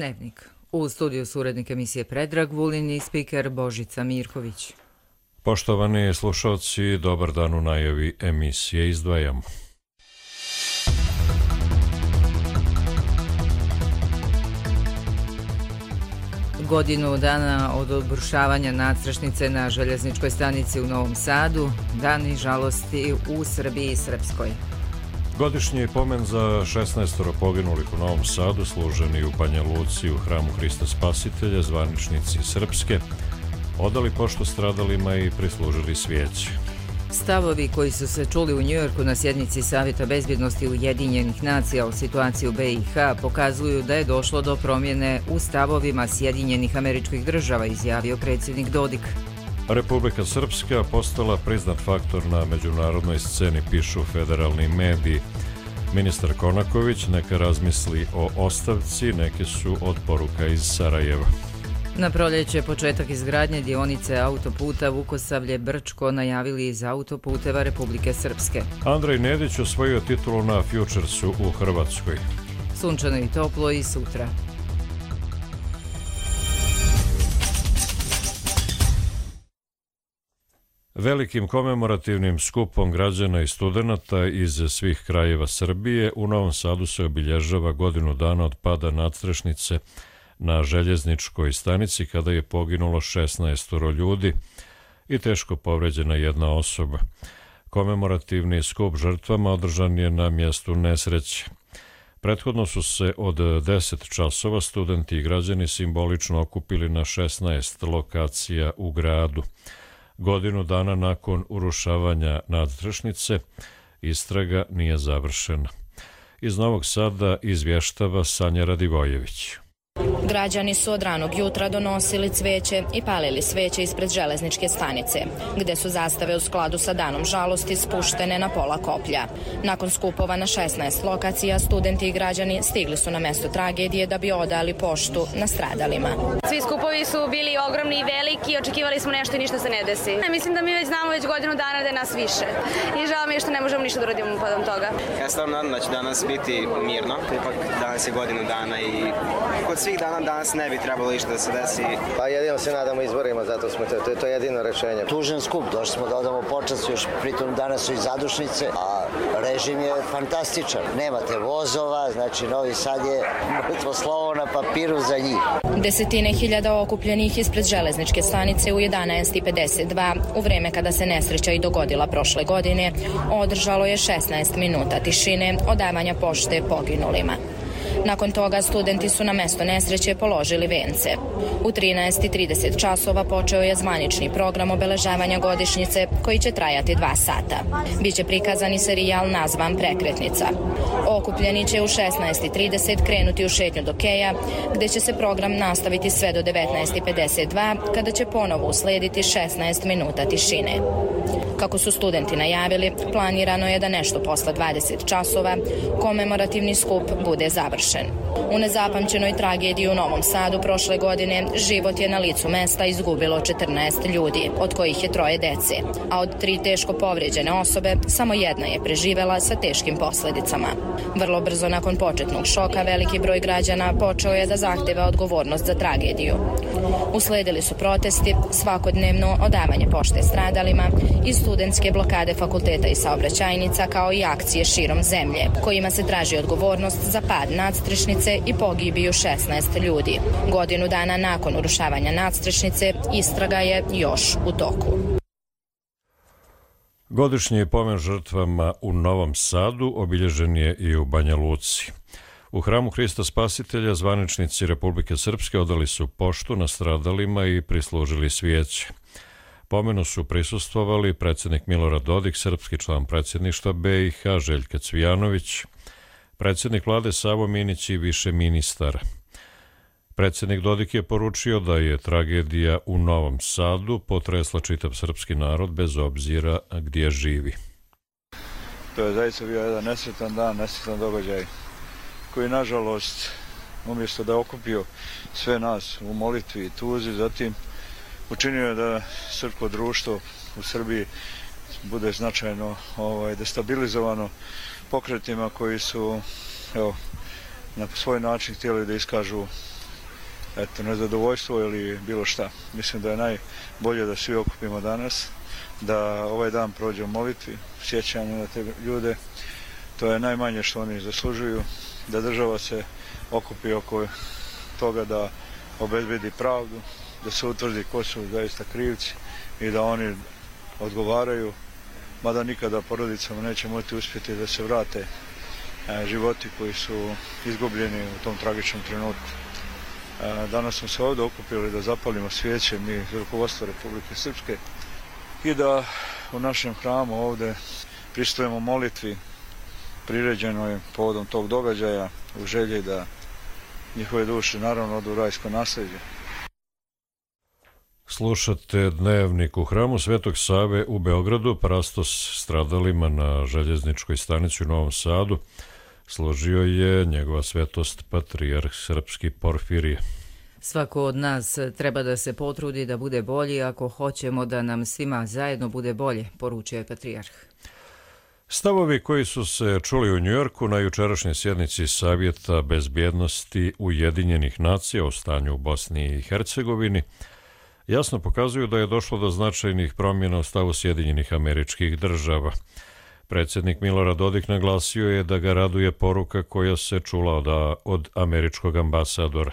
Dnevnik. U studiju su urednik emisije Predrag Vulin i spiker Božica Mirković. Poštovani slušalci, dobar dan. U najavi emisije izdvajamo. Godinu dana od obrušavanja nadstrešnice na željezničkoj stanici u Novom Sadu, dani žalosti u Srbiji i Srpskoj. Godišnji pomen za 16 poginulih u Novom Sadu, služeni u Banja Luci u hramu Hrista Spasitelja, zvaničnici Srpske odali poštu stradalima i prislužili svijeće. Stavovi koji su se čuli u Njujorku na sjednici Savjeta bezbjednosti Ujedinjenih nacija o situaciji u BiH pokazuju da je došlo do promjene u stavovima Sjedinjenih Američkih Država, izjavio predsjednik Dodik. Republika Srpska postala priznat faktor na međunarodnoj sceni, pišu federalni mediji. Ministar Konaković neka razmisli o ostavci, neke su od poruka iz Sarajeva. Na proljeće početak izgradnje dionice autoputa Vukosavlje-Brčko najavili iz autoputeva Republike Srpske. Andrej Nedić osvojio titulu na Futuresu u Hrvatskoj. Sunčano i toplo i sutra. Velikim komemorativnim skupom građana i studenata iz svih krajeva Srbije u Novom Sadu se obilježava godinu dana od pada nadstrešnice na željezničkoj stanici kada je poginulo 16 ljudi i teško povređena jedna osoba. Komemorativni skup žrtvama održan je na mjestu nesreće. Prethodno su se od 10 časova studenti i građani simbolično okupili na 16 lokacija u gradu. Godinu dana nakon urušavanja nadstrešnice istraga nije završena. Iz Novog Sada izvještava Sanja Radivojević. Građani su od ranog jutra donosili cveće i palili sveće ispred železničke stanice, gde su zastave u skladu sa danom žalosti spuštene na pola koplja. Nakon skupova na 16 lokacija, studenti i građani stigli su na mesto tragedije da bi odali poštu nastradalima. Svi skupovi su bili ogromni i veliki, očekivali smo nešto i ništa se ne desi. Mislim da mi već znamo godinu dana da je nas više i žao mi je što ne možemo ništa da uradimo podom toga. Ja stvarno nadam da će danas biti mirno, ipak danas je godinu dana i kod svih dana danas ne bi trebalo išta da se desi. Pa jedino se nadamo izborima, zato smo to je jedino rešenje. Tužan skup, došli smo da odamo počast, još pritom danas su i zadušnice, a režim je fantastičan. Nemate vozova, znači Novi Sad je mrtvo slovo na papiru za njih. Desetine hiljada okupljenih ispred železničke stanice u 11:52, u vreme kada se nesreća i dogodila prošle godine, održalo je 16 minuta tišine odavanja pošte poginulima. Nakon toga studenti su na mesto nesreće položili vence. U 13:30 časova počeo je zvanični program obeležavanja godišnjice koji će trajati 2 sata. Biće prikazan i serijal nazvan Prekretnica. Okupljeni će u 16:30 krenuti u šetnju do Keja, gde će se program nastaviti sve do 19:52, kada će ponovo uslediti 16 minuta tišine. Kako su studenti najavili, planirano je da nešto posle 20 časova komemorativni skup bude završen. U nezapamćenoj tragediji u Novom Sadu prošle godine život je na licu mesta izgubilo 14 ljudi, od kojih je 3 dece, a od 3 teško povrijeđene osobe samo jedna je preživela sa teškim posljedicama. Vrlo brzo nakon početnog šoka veliki broj građana počeo je da zahteva odgovornost za tragediju. Usledili su protesti, svakodnevno odavanje pošte stradalima i studentske blokade fakulteta i saobraćajnica, kao i akcije širom zemlje, kojima se traži odgovornost za pad nadstrešnice i pogibiju 16 ljudi. Godinu dana nakon urušavanja nadstrešnice istraga je još u toku. Godišnji pomen žrtvama u Novom Sadu obilježen je i u Banja Luci. U hramu Hrista Spasitelja zvaničnici Republike Srpske odali su poštu nastradalima i prislužili svijeće. Pomenu su prisustvovali predsjednik Milorad Dodik, srpski član predsjedništva BiH Željka Cvijanović, predsjednik vlade Savo Minić i više ministara. Predsjednik Dodik je poručio da je tragedija u Novom Sadu potresla čitav srpski narod bez obzira gdje živi. To je zaista bio jedan nesretan dan, nesretan događaj koji nažalost umjesto da je okupio sve nas u molitvi i tuzi, zatim učinio je da srpsko društvo u Srbiji bude značajno destabilizovano pokretima koji su na svoj način htjeli da iskažu nezadovoljstvo ili bilo šta. Mislim da je najbolje da svi okupimo danas, da ovaj dan prođe u molitvi, sjećanju na te ljude. To je najmanje što oni zaslužuju, da država se okupi oko toga da obezbedi pravdu, da se utvrdi ko su zaista krivci i da oni odgovaraju, mada nikada porodicama neće moći uspjeti da se vrate životi koji su izgubljeni u tom tragičnom trenutku. Danas smo se ovdje okupili da zapalimo svijeće, mi iz rukovodstva Republike Srpske, i da u našem hramu ovdje pristupimo molitvi priređenoj povodom tog događaja u želji da njihove duše naravno odu u rajsko nasljeđe. Slušate Dnevnik. U hramu Svetog Save u Beogradu parastos stradalima na željezničkoj stanici u Novom Sadu složio je njegova svetost patrijarh srpski Porfirije. Svako od nas treba da se potrudi da bude bolji ako hoćemo da nam svima zajedno bude bolje, poručuje patrijarh. Stavovi koji su se čuli u Njujorku na jučerašnjoj sjednici Savjeta bezbjednosti Ujedinjenih nacija o stanju u Bosni i Hercegovini jasno pokazuju da je došlo do značajnih promjena u stavu Sjedinjenih Američkih Država. Predsjednik Milorad Dodik naglasio je da ga raduje poruka koja se čula od američkog ambasadora.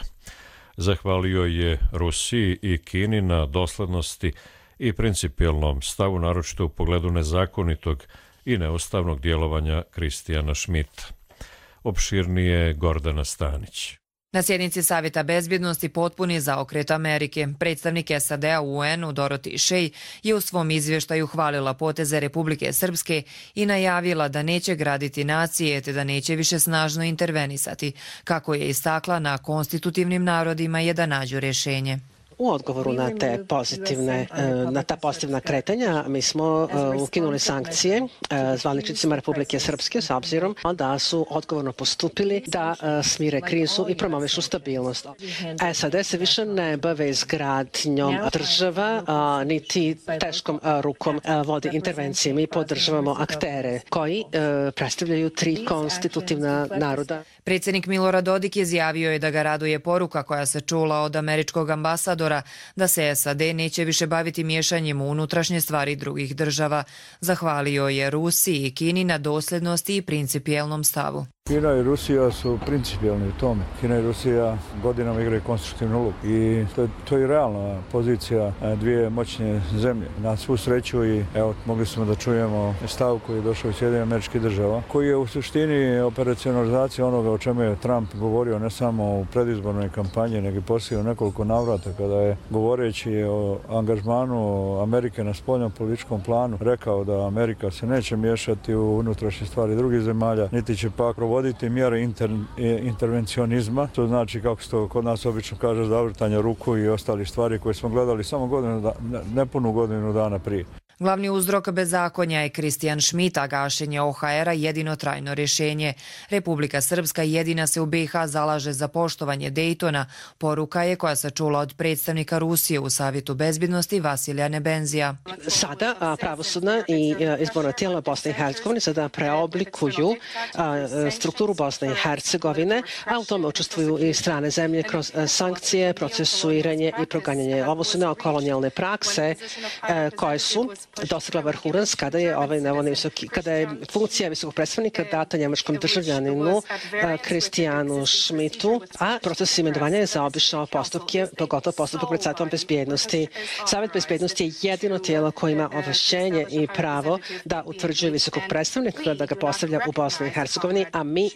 Zahvalio je Rusiji i Kini na doslednosti i principijelnom stavu, naročito u pogledu nezakonitog i neustavnog djelovanja Kristijana Šmita. Opširnije Gordana Stanić. Na sjednici Savjeta bezbjednosti potpuni zaokret Amerike. Predstavnik SAD-a u UN-u Dorothy Shea je u svom izvještaju hvalila poteze Republike Srpske i najavila da neće graditi nacije te da neće više snažno intervenisati, kako je istakla na konstitutivnim narodima je da nađu rješenje. U odgovoru na ta pozitivna kretanja mi smo ukinuli sankcije zvaničnicima Republike Srpske s obzirom da su odgovorno postupili da smire krizu i promovišu stabilnost. SAD se više ne bave izgradnjom država, niti teškom rukom vodi intervencije. Mi podržavamo aktere koji predstavljaju 3 konstitutivna naroda. Predsjednik Milorad Dodik izjavio je da ga raduje poruka koja se čula od američkog ambasadora da se SAD neće više baviti miješanjem u unutrašnje stvari drugih država. Zahvalio je Rusiji i Kini na dosljednosti i principijelnom stavu. Kina i Rusija su principijelni u tome. Kina i Rusija godinama igraju konstruktivnu ulogu i to je realna pozicija dvije moćne zemlje. Na svu sreću i evo mogli smo da čujemo stav koji je došao iz Sjedinjenih Američkih Država, koji je u suštini operacionalizacija onoga o čemu je Trump govorio ne samo u predizbornoj kampanji, nego i poslije u nekoliko navrata kada je govoreći o angažmanu Amerike na spoljnom političkom planu rekao da Amerika se neće miješati u unutrašnje stvari drugih zemalja, niti će pak provoditi mjere intervencionizma, to znači kako se to kod nas obično kaže zavrtanja ruku i ostali stvari koje smo gledali samo nepunu godinu dana prije. Glavni uzrok bezakonja je Kristijan Šmit, a gašenje OHR-a jedino trajno rješenje. Republika Srpska jedina se u BiH zalaže za poštovanje Dejtona. Poruka je koja se čula od predstavnika Rusije u Savjetu bezbjednosti Vasilija Nebenzija. Sada pravosudna i izborna tijela Bosne i Hercegovine sada preoblikuju strukturu Bosne i Hercegovine, a u tome učestvuju i strane zemlje kroz sankcije, procesuiranje i proganjanje. Ovo su neokolonijalne prakse koje su dosegla vrhunac kada je funkcija visokog predstavnika data njemačkom državljaninu Kristijanu Šmitu, a proces imenovanja je zaobišao postupke, pogotovo postupak pred Savetom bezbjednosti. Savet bezbjednosti je jedino tijelo koje ima ovlašćenje i pravo da utvrđuje visokog predstavnika, da ga postavlja u Bosni i Hercegovini, a mi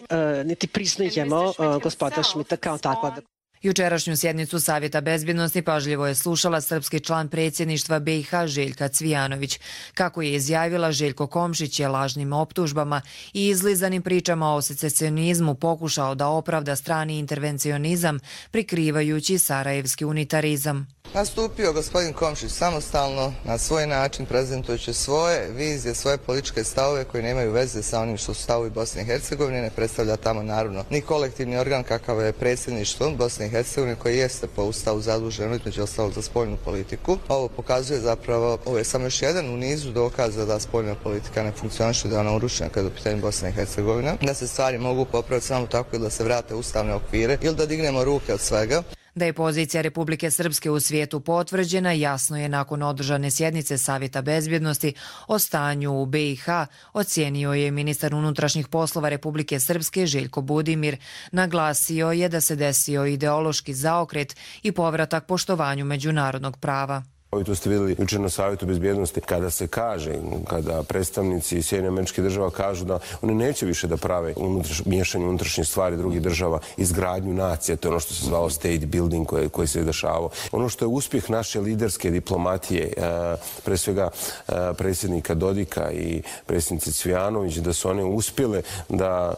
niti priznajemo gospodina Šmita kao takva. Jučerašnju sjednicu Savjeta bezbjednosti pažljivo je slušala srpski član predsjedništva BiH Željka Cvijanović. Kako je izjavila, Željko Komšić je lažnim optužbama i izlizanim pričama o secesionizmu pokušao da opravda strani intervencionizam prikrivajući sarajevski unitarizam. Nastupio gospodin Komšić samostalno na svoj način prezentujući svoje vizije, svoje političke stavove koji nemaju veze sa onim što su stavovi Bosne i Hercegovine, ne predstavlja tamo naravno ni kolektivni organ kakav je predsjedništvo Bosne i Hercegovine koji jeste po ustavu zaduženo između ostalog za spoljnu politiku. Ovo pokazuje zapravo, ovo je samo još jedan u nizu dokaza da spoljna politika ne funkcioniše, da je ona urušena kada je u pitanju Bosne i Hercegovine, da se stvari mogu popraviti samo tako ili da se vrate u ustavne okvire ili da dignemo ruke od svega. Da je pozicija Republike Srpske u svijetu potvrđena, jasno je nakon održane sjednice Savjeta bezbjednosti o stanju u BiH, ocijenio je ministar unutrašnjih poslova Republike Srpske Željko Budimir. Naglasio je da se desio ideološki zaokret i povratak poštovanju međunarodnog prava. I to ste vidjeli jučer na Savjetu bezbjednosti kada se kaže, kada predstavnici Sjedinjenih Američkih Država kažu da oni neće više da prave miješanje unutrašnje stvari drugih država, izgradnju nacija, to je ono što se zvalo state building koji se dešavao. Ono što je uspjeh naše liderske diplomatije, pre svega predsjednika Dodika i predsjednice Cvijanović, da su one uspjele da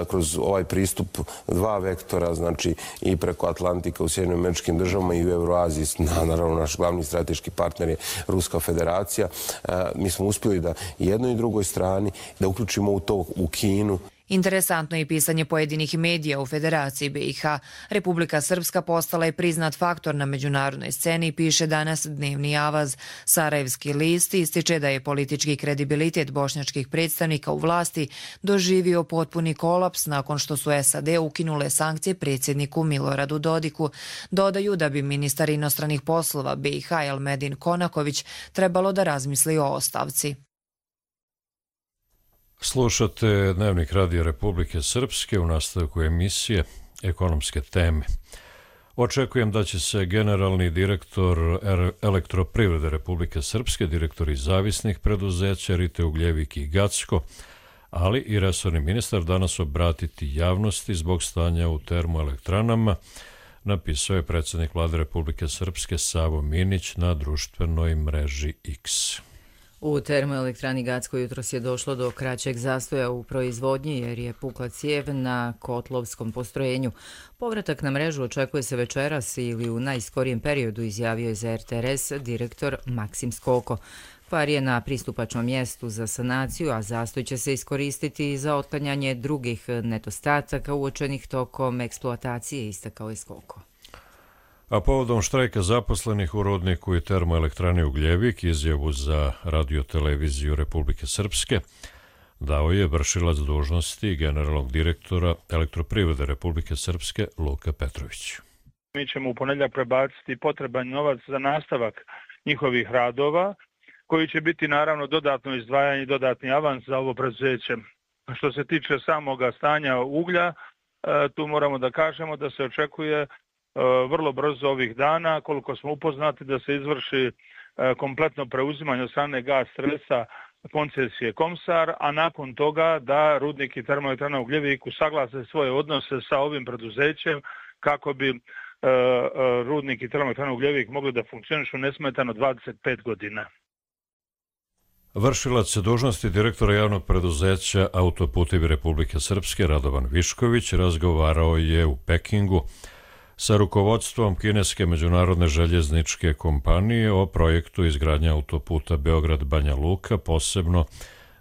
kroz ovaj pristup dva vektora, znači i preko Atlantika u Sjedinjenim Američkim Državama i u Euroaziji, naravno naš glavni strateški partner je Ruska federacija. Mi smo uspjeli da jednoj i drugoj strani da uključimo u to u Kinu. Interesantno je i pisanje pojedinih medija u Federaciji BiH. Republika Srpska postala je priznat faktor na međunarodnoj sceni, piše danas Dnevni avaz. Sarajevski list ističe da je politički kredibilitet bošnjačkih predstavnika u vlasti doživio potpuni kolaps nakon što su SAD ukinule sankcije predsjedniku Miloradu Dodiku. Dodaju da bi ministar inostranih poslova BiH Elmedin Konaković trebalo da razmisli o ostavci. Slušate Dnevnik Radija Republike Srpske u nastavku emisije Ekonomske teme. Očekujem da će se generalni direktor Elektroprivrede Republike Srpske, direktori zavisnih preduzeća Rite Ugljevik i Gacko, ali i resorni ministar danas obratiti javnosti zbog stanja u termoelektranama, napisao je predsjednik Vlade Republike Srpske Savo Minić na društvenoj mreži X. U termoelektrani Gacko jutros je došlo do kraćeg zastoja u proizvodnji jer je pukla cijev na kotlovskom postrojenju. Povratak na mrežu očekuje se večeras ili u najskorijem periodu, izjavio je za RTRS direktor Maksim Skoko. Kvar je na pristupačnom mjestu za sanaciju, a zastoj će se iskoristiti za otklanjanje drugih nedostataka uočenih tokom eksploatacije, istakao je Skoko. A povodom štrajka zaposlenih u rudniku i termoelektrani Ugljevik, izjavu za radioteleviziju Republike Srpske dao je vršilac dužnosti generalnog direktora Elektroprivrede Republike Srpske Luka Petrović. Mi ćemo u ponedjeljak prebaciti potreban novac za nastavak njihovih radova, koji će biti naravno dodatno izdvajanje i dodatni avans za ovo preduzeće. Što se tiče samoga stanja uglja, tu moramo da kažemo da se očekuje vrlo brzo ovih dana, koliko smo upoznati, da se izvrši kompletno preuzimanje od strane Gas Stresa koncesije Komsar, a nakon toga da rudnik i termoelektrana Ugljevik usaglase svoje odnose sa ovim preduzećem kako bi rudnik i termoelektrana Ugljevik mogli da funkcionišu nesmetano 25 godina. Vršilac dužnosti direktora javnog preduzeća Autoputevi Republike Srpske Radovan Višković razgovarao je u Pekingu sa rukovodstvom kineske međunarodne željezničke kompanije o projektu izgradnje autoputa Beograd-Banja Luka, posebno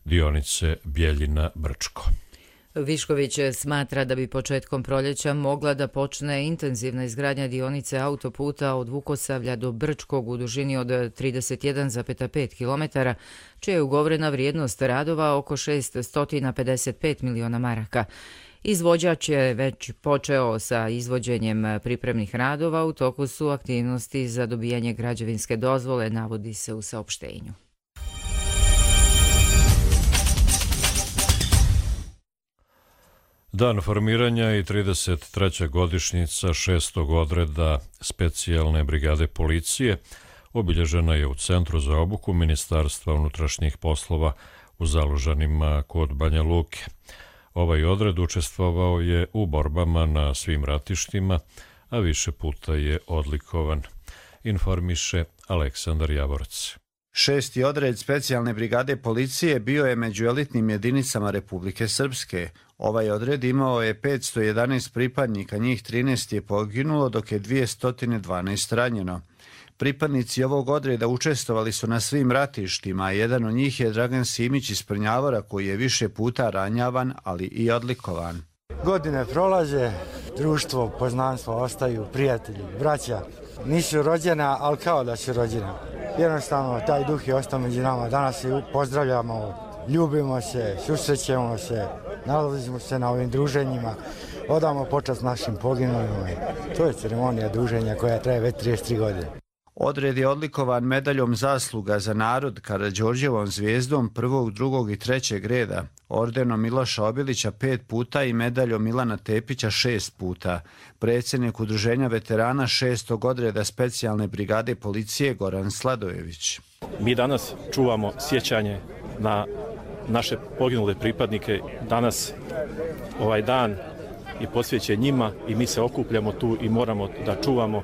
dionice Bjeljina-Brčko. Višković smatra da bi početkom proljeća mogla da počne intenzivna izgradnja dionice autoputa od Vukosavlja do Brčkog u dužini od 31,5 km, čija je ugovorena vrijednost radova oko 655 miliona maraka. Izvođač je već počeo sa izvođenjem pripremnih radova, u toku su aktivnosti za dobijanje građevinske dozvole, navodi se u saopštenju. Dan formiranja i 33. godišnjica 6. odreda specijalne brigade policije obilježena je u Centru za obuku Ministarstva unutrašnjih poslova u Zalužanima kod Banja Luke. Ovaj odred učestvovao je u borbama na svim ratištima, a više puta je odlikovan, informiše Aleksandar Javorac. 6. odred specijalne brigade policije bio je među elitnim jedinicama Republike Srpske. Ovaj odred imao je 511 pripadnika, njih 13 je poginulo, dok je 212 ranjeno. Pripadnici ovog odreda učestvovali su na svim ratištima, a jedan od njih je Dragan Simić iz Prnjavora, koji je više puta ranjavan, ali i odlikovan. Godine prolaze, društvo, poznanstvo ostaju, prijatelji, braća. Nisu rođena, ali kao da su rođena. Jednostavno, taj duh je ostao među nama. Danas se pozdravljamo, ljubimo se, susrećemo se, nalazimo se na ovim druženjima. odamo počast našim poginulima. To je ceremonija druženja koja traje već 33 godine. Odred je odlikovan medaljom zasluga za narod, Karađorđevom zvijezdom 1., 2. i 3. reda, ordenom Miloša Obilića 5 puta i medaljom Milana Tepića 6 puta. Predsjednik Udruženja veterana 6. odreda specijalne brigade policije Goran Sladojević. Mi danas čuvamo sjećanje na naše poginule pripadnike. Danas ovaj dan je posvećen njima i mi se okupljamo tu i moramo da čuvamo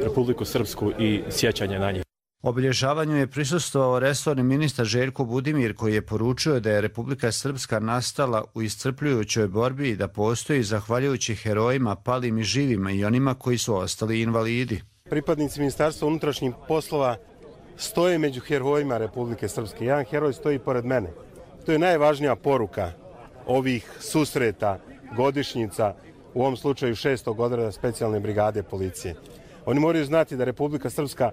Republiku Srpsku i sjećanje na njih. Obilježavanju je prisustvovao resorni ministar Željko Budimir, koji je poručio da je Republika Srpska nastala u iscrpljujućoj borbi i da postoji zahvaljujući herojima, palim i živima i onima koji su ostali invalidi. Pripadnici Ministarstva unutrašnjih poslova stoje među herojima Republike Srpske. Jedan heroj stoji pored mene. To je najvažnija poruka ovih susreta, godišnjica, u ovom slučaju 6. odreda specijalne brigade policije. Oni moraju znati da Republika Srpska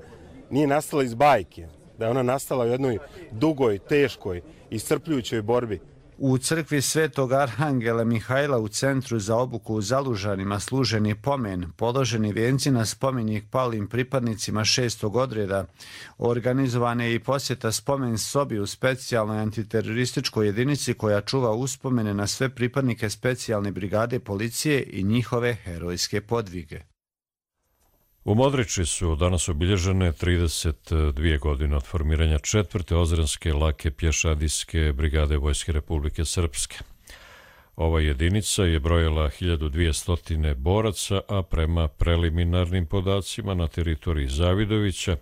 nije nastala iz bajke, da je ona nastala u jednoj dugoj, teškoj, iscrpljujućoj borbi. U crkvi Svetog Arhangela Mihajla u centru za obuku u Zalužanima služen je pomen, položeni vijenci na spomenik palim pripadnicima 6. odreda. Organizovana je i posjeta spomen sobi u specijalnoj antiterorističkoj jedinici koja čuva uspomene na sve pripadnike specijalne brigade policije i njihove herojske podvige. U Modriči su danas obilježene 32 godine od formiranja 4. ozrenske lake pješadijske brigade Vojske Republike Srpske. Ova jedinica je brojala 1200 boraca, a prema preliminarnim podacima na teritoriji Zavidovića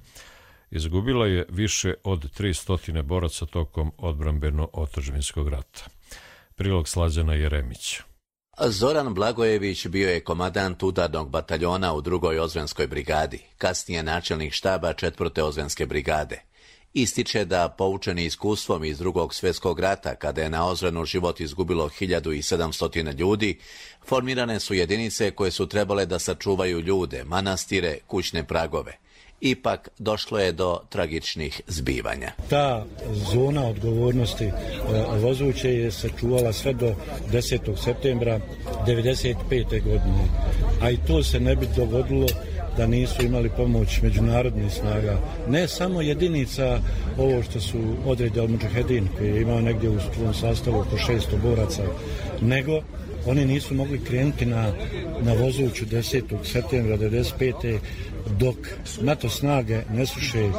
izgubila je više od 300 boraca tokom odbrambeno-otadžbinskog rata. Prilog Slađana Jeremića. Zoran Blagojević bio je komandant udarnog bataljona u 2. ozrenskoj brigadi, kasnije načelnik štaba 4. ozrenske brigade. Ističe da, poučeni iskustvom iz 2. svjetskog rata, kada je na Ozrenu život izgubilo 1700 ljudi, formirane su jedinice koje su trebale da sačuvaju ljude, manastire, kućne pragove. Ipak došlo je do tragičnih zbivanja. Ta zona odgovornosti Vozuće je sačuvala sve do 10. septembra 1995. godine, a i to se ne bi dogodilo da nisu imali pomoć međunarodnih snaga. Ne samo jedinica ovo što su odred Al-Mudžahedin, koji je imao negdje u svom sastavu oko 600 boraca, nego oni nisu mogli krenuti na Vozuću 10. septembra 1995. dok NATO snage ne sluše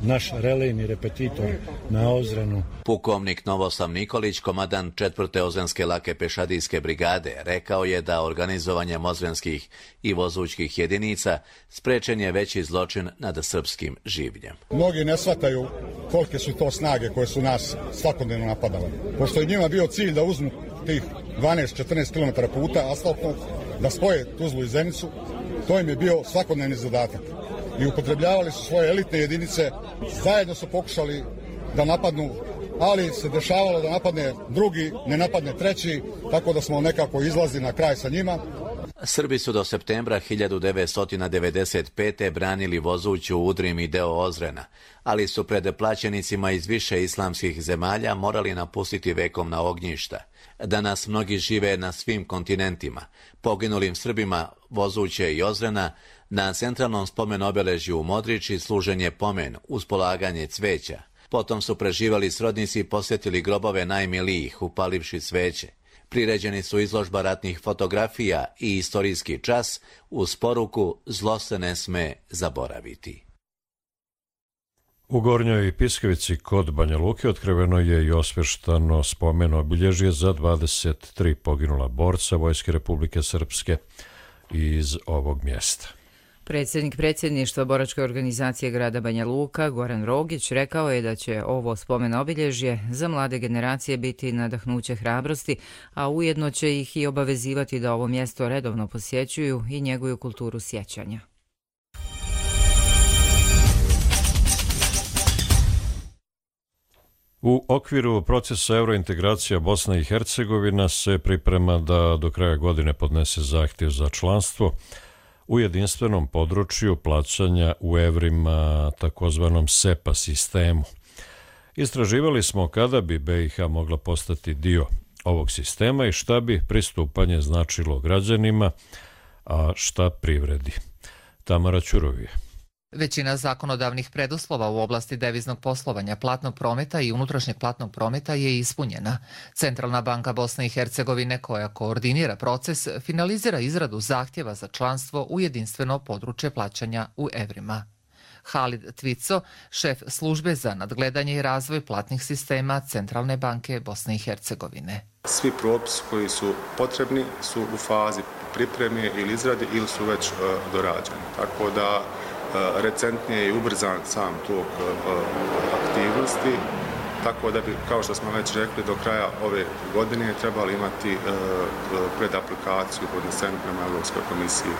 naš relejni repetitor na Ozrenu. Pukovnik Novoslav Nikolić, komandant 4. ozrenske lake pešadijske brigade, rekao je da organizovanjem ozrenskih i vozućkih jedinica sprečen je veći zločin nad srpskim življem. Mnogi ne shvataju kolike su to snage koje su nas svakodnevno napadale. Pošto je njima bio cilj da uzmu tih 12-14 km puta asfaltnog, da spoje Tuzlu i Zenicu, to im je bio svakodnevni zadatak. I upotrebljavali su svoje elitne jedinice, zajedno su pokušali da napadnu, ali se dešavalo da napadne drugi, ne napadne treći, tako da smo nekako izlazili na kraj sa njima. Srbi su do septembra 1995. branili Vozuću, Udrim i deo Ozrena, ali su pred plaćenicima iz više islamskih zemalja morali napustiti vekovna ognjišta. Danas mnogi žive na svim kontinentima. Poginulim Srbima Vozuće i Ozrena na centralnom spomen obeležju u Modriči služen je pomen uz polaganje cveća. Potom su preživali srodnici posjetili grobove najmilijih upalivši sveće. Priređeni su izložba ratnih fotografija i istorijski čas uz poruku zlo se ne sme zaboraviti. U Gornjoj Piskavici kod Banja Luke otkriveno je i osveštano spomen obilježje za 23 poginula borca Vojske Republike Srpske iz ovog mjesta. Predsjednik predsjedništva boračke organizacije grada Banja Luka, Goran Rogić, rekao je da će ovo spomen obilježje za mlade generacije biti nadahnuće hrabrosti, a ujedno će ih i obavezivati da ovo mjesto redovno posjećuju i njeguju kulturu sjećanja. U okviru procesa eurointegracija Bosna i Hercegovina se priprema da do kraja godine podnese zahtjev za članstvo u jedinstvenom području plaćanja u evrima, takozvanom SEPA sistemu. Istraživali smo kada bi BiH mogla postati dio ovog sistema i šta bi pristupanje značilo građanima, a šta privredi. Tamara Ćurovije. Većina zakonodavnih preduslova u oblasti deviznog poslovanja, platnog prometa i unutrašnjeg platnog prometa je ispunjena. Centralna banka Bosne i Hercegovine, koja koordinira proces, finalizira izradu zahtjeva za članstvo u jedinstveno područje plaćanja u evrima. Halid Tvico, šef službe za nadgledanje i razvoj platnih sistema Centralne banke Bosne i Hercegovine. Svi propisi koji su potrebni su u fazi pripreme ili izrade ili su već dorađeni. Tako da recentnije i ubrzan sam tok aktivnosti, tako da bi, kao što smo već rekli, do kraja ove godine trebali imati predaplikaciju podnesenu prema Europskoj komisiji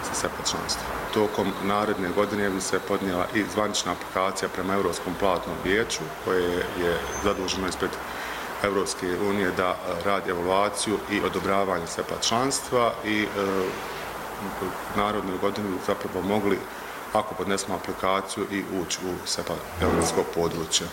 za SEPA članstvo. Tokom naredne godine bi se podnijela i zvanična aplikacija prema Europskom platnom vijeću, koje je zaduženo ispred Europske unije da radi evaluaciju i odobravanje SEPA članstva i narednu godinu bi zapravo mogli, ako podnesemo aplikaciju, i ući u SEPA europsko područje.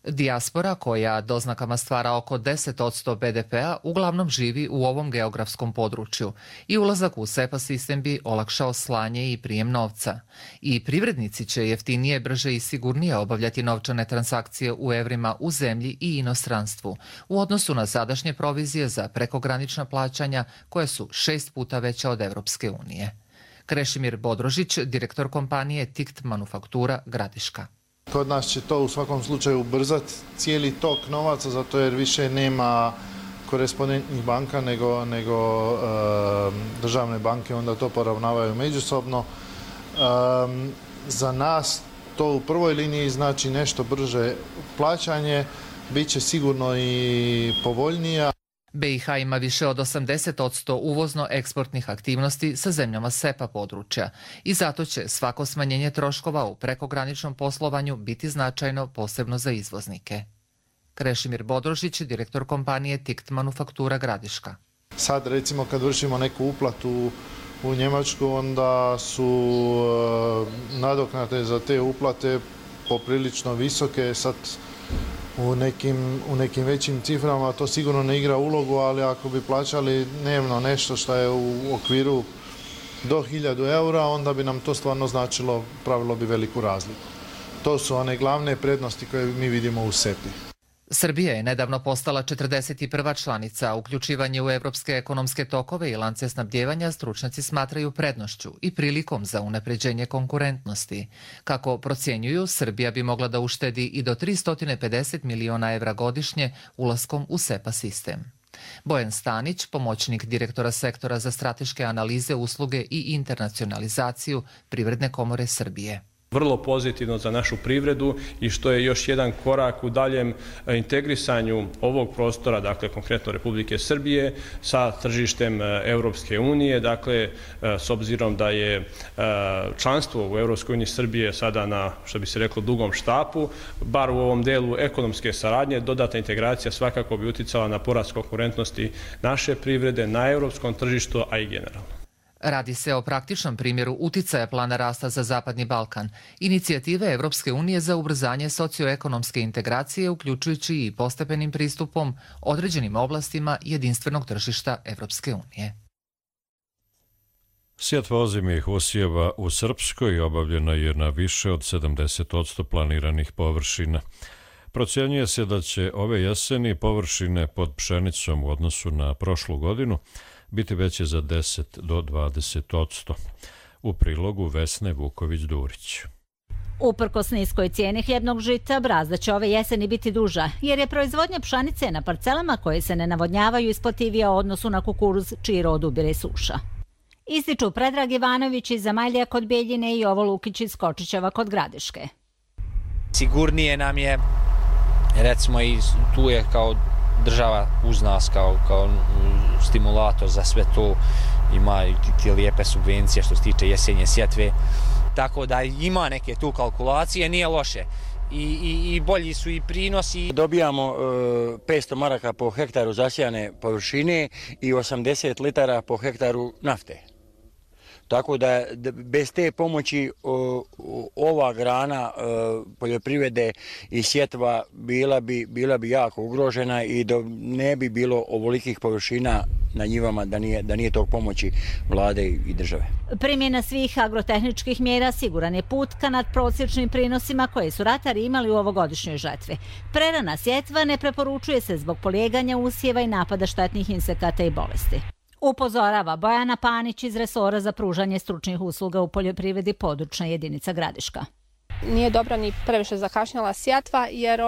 Dijaspora, koja doznakama stvara oko 10% BDP-a, uglavnom živi u ovom geografskom području i ulazak u SEPA sistem bi olakšao slanje i prijem novca. I privrednici će jeftinije, brže i sigurnije obavljati novčane transakcije u evrima u zemlji i inostranstvu, u odnosu na sadašnje provizije za prekogranična plaćanja, koje su 6 puta veća od Evropske unije. Krešimir Bodrožić, direktor kompanije TICT Manufaktura Gradiška. Kod nas će to u svakom slučaju ubrzati cijeli tok novaca, zato jer više nema korespondentnih banka nego državne banke, onda to poravnavaju međusobno. Za nas to u prvoj liniji znači nešto brže plaćanje, bit će sigurno i povoljnija. BiH ima više od 80% uvozno-eksportnih aktivnosti sa zemljama SEPA područja i zato će svako smanjenje troškova u prekograničnom poslovanju biti značajno, posebno za izvoznike. Krešimir Bodrožić, direktor kompanije TICT Manufaktura Gradiška. Sad recimo kad vršimo neku uplatu u Njemačku, onda su nadoknade za te uplate poprilično visoke. Sad u nekim većim ciframa to sigurno ne igra ulogu, ali ako bi plaćali dnevno nešto što je u okviru do 1000 eura, onda bi nam to stvarno značilo, pravilo bi veliku razliku. To su one glavne prednosti koje mi vidimo u SEPI. Srbija je nedavno postala 41. članica. Uključivanje u evropske ekonomske tokove i lance snabdijevanja stručnjaci smatraju prednošću i prilikom za unapređenje konkurentnosti. Kako procjenjuju, Srbija bi mogla da uštedi i do 350 miliona evra godišnje ulaskom u SEPA sistem. Bojan Stanić, pomoćnik direktora sektora za strateške analize, usluge i internacionalizaciju Privredne komore Srbije. Vrlo pozitivno za našu privredu i što je još jedan korak u daljem integrisanju ovog prostora, dakle konkretno Republike Srbije, sa tržištem Europske unije. Dakle, s obzirom da je članstvo u Europskoj uniji Srbije sada na, što bi se reklo, dugom štapu, bar u ovom delu ekonomske saradnje, dodatna integracija svakako bi uticala na porast konkurentnosti naše privrede na europskom tržištu, a i generalno. Radi se o praktičnom primjeru uticaja plana rasta za Zapadni Balkan, inicijative Evropske unije za ubrzanje socioekonomske integracije, uključujući i postepenim pristupom određenim oblastima jedinstvenog tržišta Evropske unije. Sjetva ozimih usjeva u Srpskoj obavljena je na više od 70% planiranih površina. Procjenjuje se da će ove jeseni površine pod pšenicom u odnosu na prošlu godinu biti veće za 10 do 20%. U prilogu Vesne Vuković-Durić. Uprkos niskoj cijeni hljebnog žita, brazda će ove jeseni biti duža, jer je proizvodnja pšenice na parcelama koje se ne navodnjavaju isplativija u odnosu na kukuruz, čiji rod ubire suša. Ističu Predrag Ivanović iz Zamajlija kod Bijeljine i Jovo Lukić iz Kočićeva kod Gradiške. Sigurnije nam je, recimo i tu je kao država uz nas kao stimulator za sve to, ima i te lijepe subvencije što se tiče jesenje sjetve, tako da ima neke tu kalkulacije, nije loše i bolji su i prinosi. Dobijamo 500 maraka po hektaru zasijane površine i 80 litara po hektaru nafte. Tako da bez te pomoći ova grana poljoprivrede i sjetva bila bi jako ugrožena i ne bi bilo ovolikih površina na njivama da nije tog pomoći vlade i države. Primjena svih agrotehničkih mjera siguran je put ka nadprosječnim prinosima koje su ratari imali u ovogodišnjoj žetvi. Prerana sjetva ne preporučuje se zbog polijeganja usjeva i napada štetnih insekata i bolesti. Upozorava Bojana Panić iz resora za pružanje stručnih usluga u poljoprivredi područna jedinica Gradiška. Nije dobra ni previše zakašnjala sjetva jer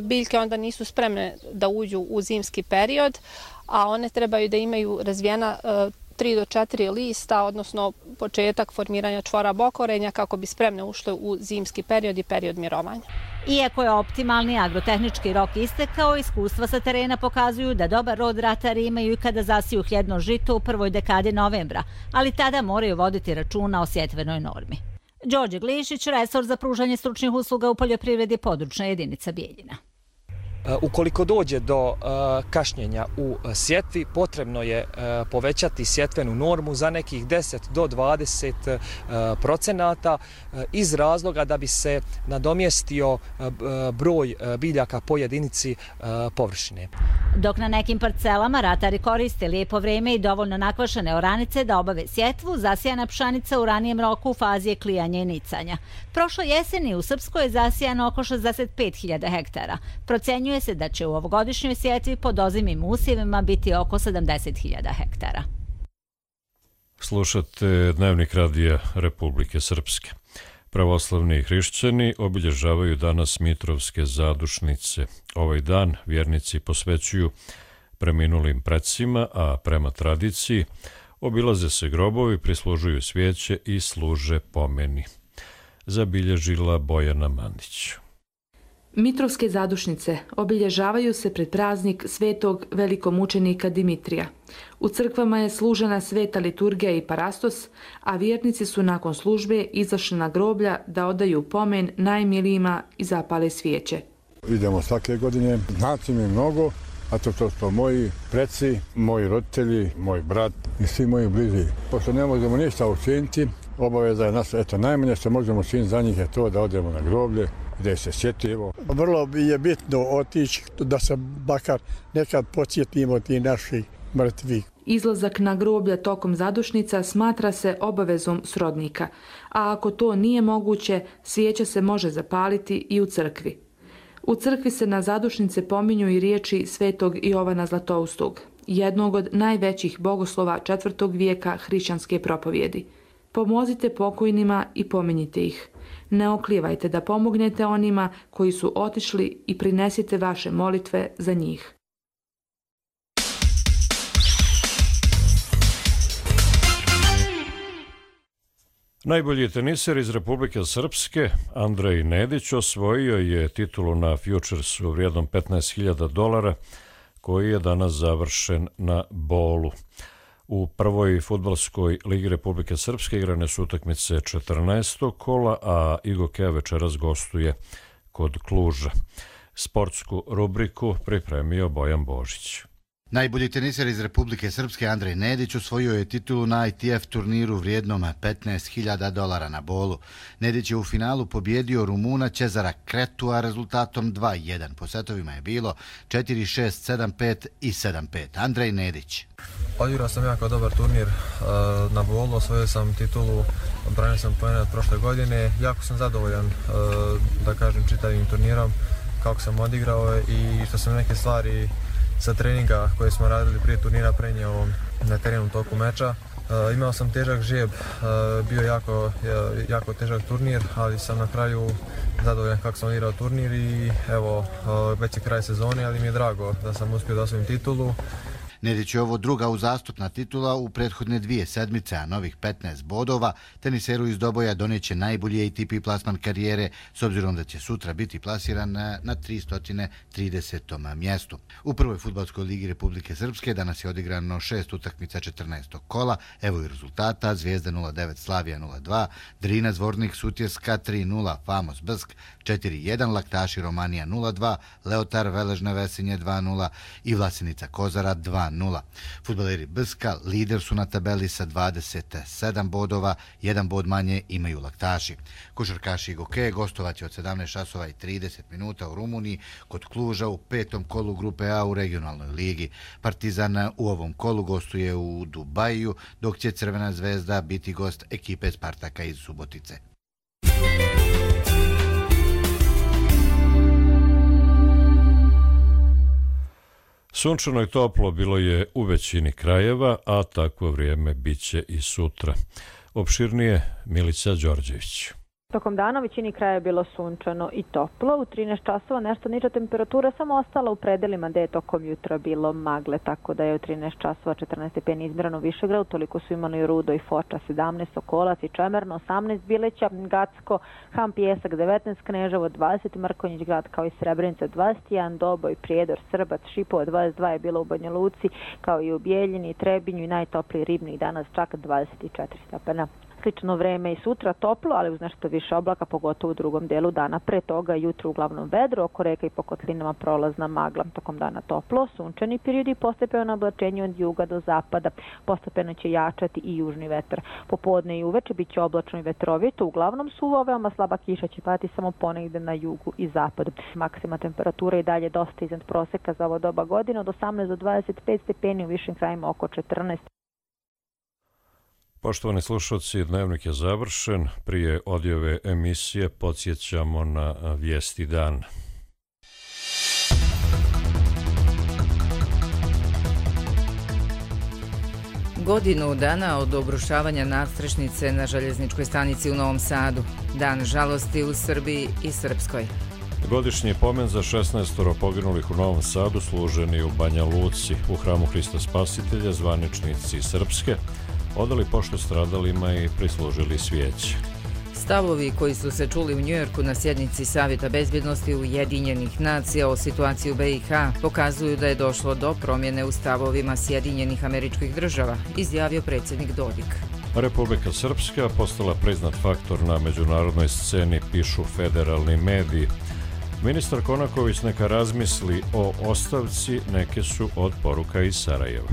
biljke onda nisu spremne da uđu u zimski period, a one trebaju da imaju razvijena 3 do 4 lista, odnosno početak formiranja čvora bokorenja kako bi spremne ušle u zimski period i period mirovanja. Iako je optimalni agrotehnički rok istekao, iskustva sa terena pokazuju da dobar rod ratari imaju i kada zasiju hljebno žito u prvoj dekadi novembra, ali tada moraju voditi računa o sjetvenoj normi. Đorđe Glišić, resor za pružanje stručnih usluga u poljoprivredi područna jedinica Bijeljina. Ukoliko dođe do kašnjenja u sjetvi, potrebno je povećati sjetvenu normu za nekih 10 do 20% iz razloga da bi se nadomjestio broj biljaka po jedinici površine. Dok na nekim parcelama ratari koriste lijepo vrijeme i dovoljno nakvašene oranice da obave sjetvu, zasijana pšenica u ranijem roku u fazi je klijanja i nicanja. Prošle jeseni u Srpskoj je zasijano oko 65.000 hektara. Procenjuje se da će u ovogodišnjoj sjetvi pod ozimim usjevima biti oko 70.000 hektara. Slušate Dnevnik radija Republike Srpske. Pravoslavni hrišćani obilježavaju danas Mitrovske zadušnice. Ovaj dan vjernici posvećuju preminulim precima, a prema tradiciji obilaze se grobovi, prislužuju svijeće i služe pomeni. Zabilježila Bojana Mandić. Mitrovske zadušnice obilježavaju se pred praznik svetog velikomučenika Dimitrija. U crkvama je služena sveta liturgija i parastos, a vjernici su nakon službe izašli na groblja da odaju pomen najmilijima i zapale svijeće. Idemo svake godine, znači mi mnogo, a to su moji preci, moji roditelji, moj brat i svi moji bliži. Pošto ne možemo ništa učiniti, obaveza je naša, najmanje što možemo učiniti za njih je to da odemo na groblje, gdje se sjetimo. Vrlo je bitno otići da se bakar nekad podsjetimo ti naših mrtvih. Izlazak na groblja tokom zadušnica smatra se obavezom srodnika, a ako to nije moguće, svijeća se može zapaliti i u crkvi. U crkvi se na zadušnice pominju i riječi svetog Jovana Zlatoustog, jednog od najvećih bogoslova 4. vijeka hrišćanske propovjedi. Pomozite pokojnima i pominjite ih. Ne oklijevajte da pomognete onima koji su otišli i prinesite vaše molitve za njih. Najbolji teniser iz Republike Srpske, Andrej Nedić, osvojio je titulu na Futuresu vrijednom $15.000, koji je danas završen na Bolu. U prvoj fudbalskoj ligi Republike Srpske igrane su utakmice 14. kola, a IGOK večeras gostuje kod Kluža. Sportsku rubriku pripremio Bojan Božić. Najbolji teniser iz Republike Srpske Andrej Nedić osvojio je titulu na ITF turniru vrijednom $15.000 na Bolu. Nedić je u finalu pobjedio Rumuna Cezara Kretua rezultatom 2-1. Po setovima je bilo 4-6, 7-5 i 7-5. Andrej Nedić. Odigrao sam jako dobar turnir na Bolu, osvojio sam titulu, branio sam poene od prošle godine. Jako sam zadovoljan, da kažem, čitavim turnirom, kako sam odigrao i što sam neke stvari sa treninga koje smo radili prije turnira prenio na terenu toku meča. Imao sam težak žijeb, bio jako težak turnir, ali sam na kraju zadovoljan kako sam odigrao turnir i evo, već je kraj sezone, ali mi je drago da sam uspio da osvojim titulu. Nedić je ovo druga uzastopna titula u prethodne 2 sedmice, a novih 15 bodova teniseru iz Doboja doneće najbolji ATP plasman karijere, s obzirom da će sutra biti plasiran na 330. mjestu. U prvoj fudbalskoj ligi Republike Srpske danas je odigrano 6 utakmica 14. kola, evo i rezultata: Zvijezda 0-9, Slavija 0-2, Drina Zvornik Sutjeska 3-0, Famos Brsk 4-1, Laktaši Romanija 0-2, Leotar Veležne Vesinje 2-0 i Vlasenica Kozara 2-0. 2:0. Fudbaleri Brska lider su na tabeli sa 27 bodova, 1 bod manje imaju Laktaši. Košarkaši Goke gostovat će od 17:30 u Rumuniji kod Kluža u 5. kolu grupe A u regionalnoj ligi. Partizan u ovom kolu gostuje u Dubaju, dok će Crvena zvezda biti gost ekipe Spartaka iz Subotice. Sunčano i toplo bilo je u većini krajeva, a takvo vrijeme biće i sutra. Opširnije Milica Đorđević. Tokom dana u većini kraja je bilo sunčano i toplo. U 13 časova nešto niža temperatura samo ostala u predelima gde je tokom jutra bilo magle, tako da je u 13 časova 14 stepeni izmjereno u Višegradu, toliko su imali Rudo i Foča 17, Sokolac i Čemerno 18, Bileća, Gacko, Ham Pijesak 19, Kneževo 20, Mrkonjić grad kao i Srebrenica 21, Doboj, Prijedor, Srbac, Šipovo 22 je bilo u Banja Luci, kao i u Bijeljini, Trebinju i najtopliji Ribnik danas čak 24 stepena. Slično vreme i sutra toplo, ali uz nešto više oblaka, pogotovo u drugom delu dana. Pre toga jutro uglavnom vedro, oko reka i po kotlinama prolazna magla. Tokom dana toplo, sunčani periodi, postepeno oblačenje od juga do zapada. Postepeno će jačati i južni vetar. Popodne i uveče bit će oblačno i vetrovito, uglavnom suvo, veoma slaba kiša će padati samo ponegde na jugu i zapadu. Maksima temperatura i dalje dosta iznad proseka za ovo doba godine, od 18 do 25 stepeni, u višim krajima oko 14. Poštovani slušalci, dnevnik je završen. Prije odjave emisije podsjećamo na vijesti dana. Godinu dana od obrušavanja nadstrešnice na željezničkoj stanici u Novom Sadu. Dan žalosti u Srbiji i Srpskoj. Godišnji pomen za 16 poginulih u Novom Sadu služen je u Banja Luci. U hramu Hrista Spasitelja zvaničnici Srpske odali poštu stradalima i prislužili svijeće. Stavovi koji su se čuli u Njujorku na sjednici Savjeta bezbjednosti Ujedinjenih nacija o situaciji u BiH pokazuju da je došlo do promjene u stavovima Sjedinjenih Američkih Država, izjavio predsjednik Dodik. Republika Srpska postala priznat faktor na međunarodnoj sceni, pišu federalni mediji. Ministar Konaković neka razmisli o ostavci, neke su od poruka iz Sarajeva.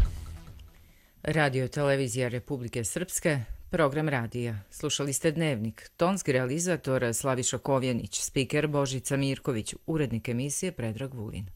Radio televizija Republike Srpske, program radija. Slušali ste Dnevnik, tonski realizator Slaviša Kovjenić, spiker Božica Mirković, urednik emisije Predrag Vulin.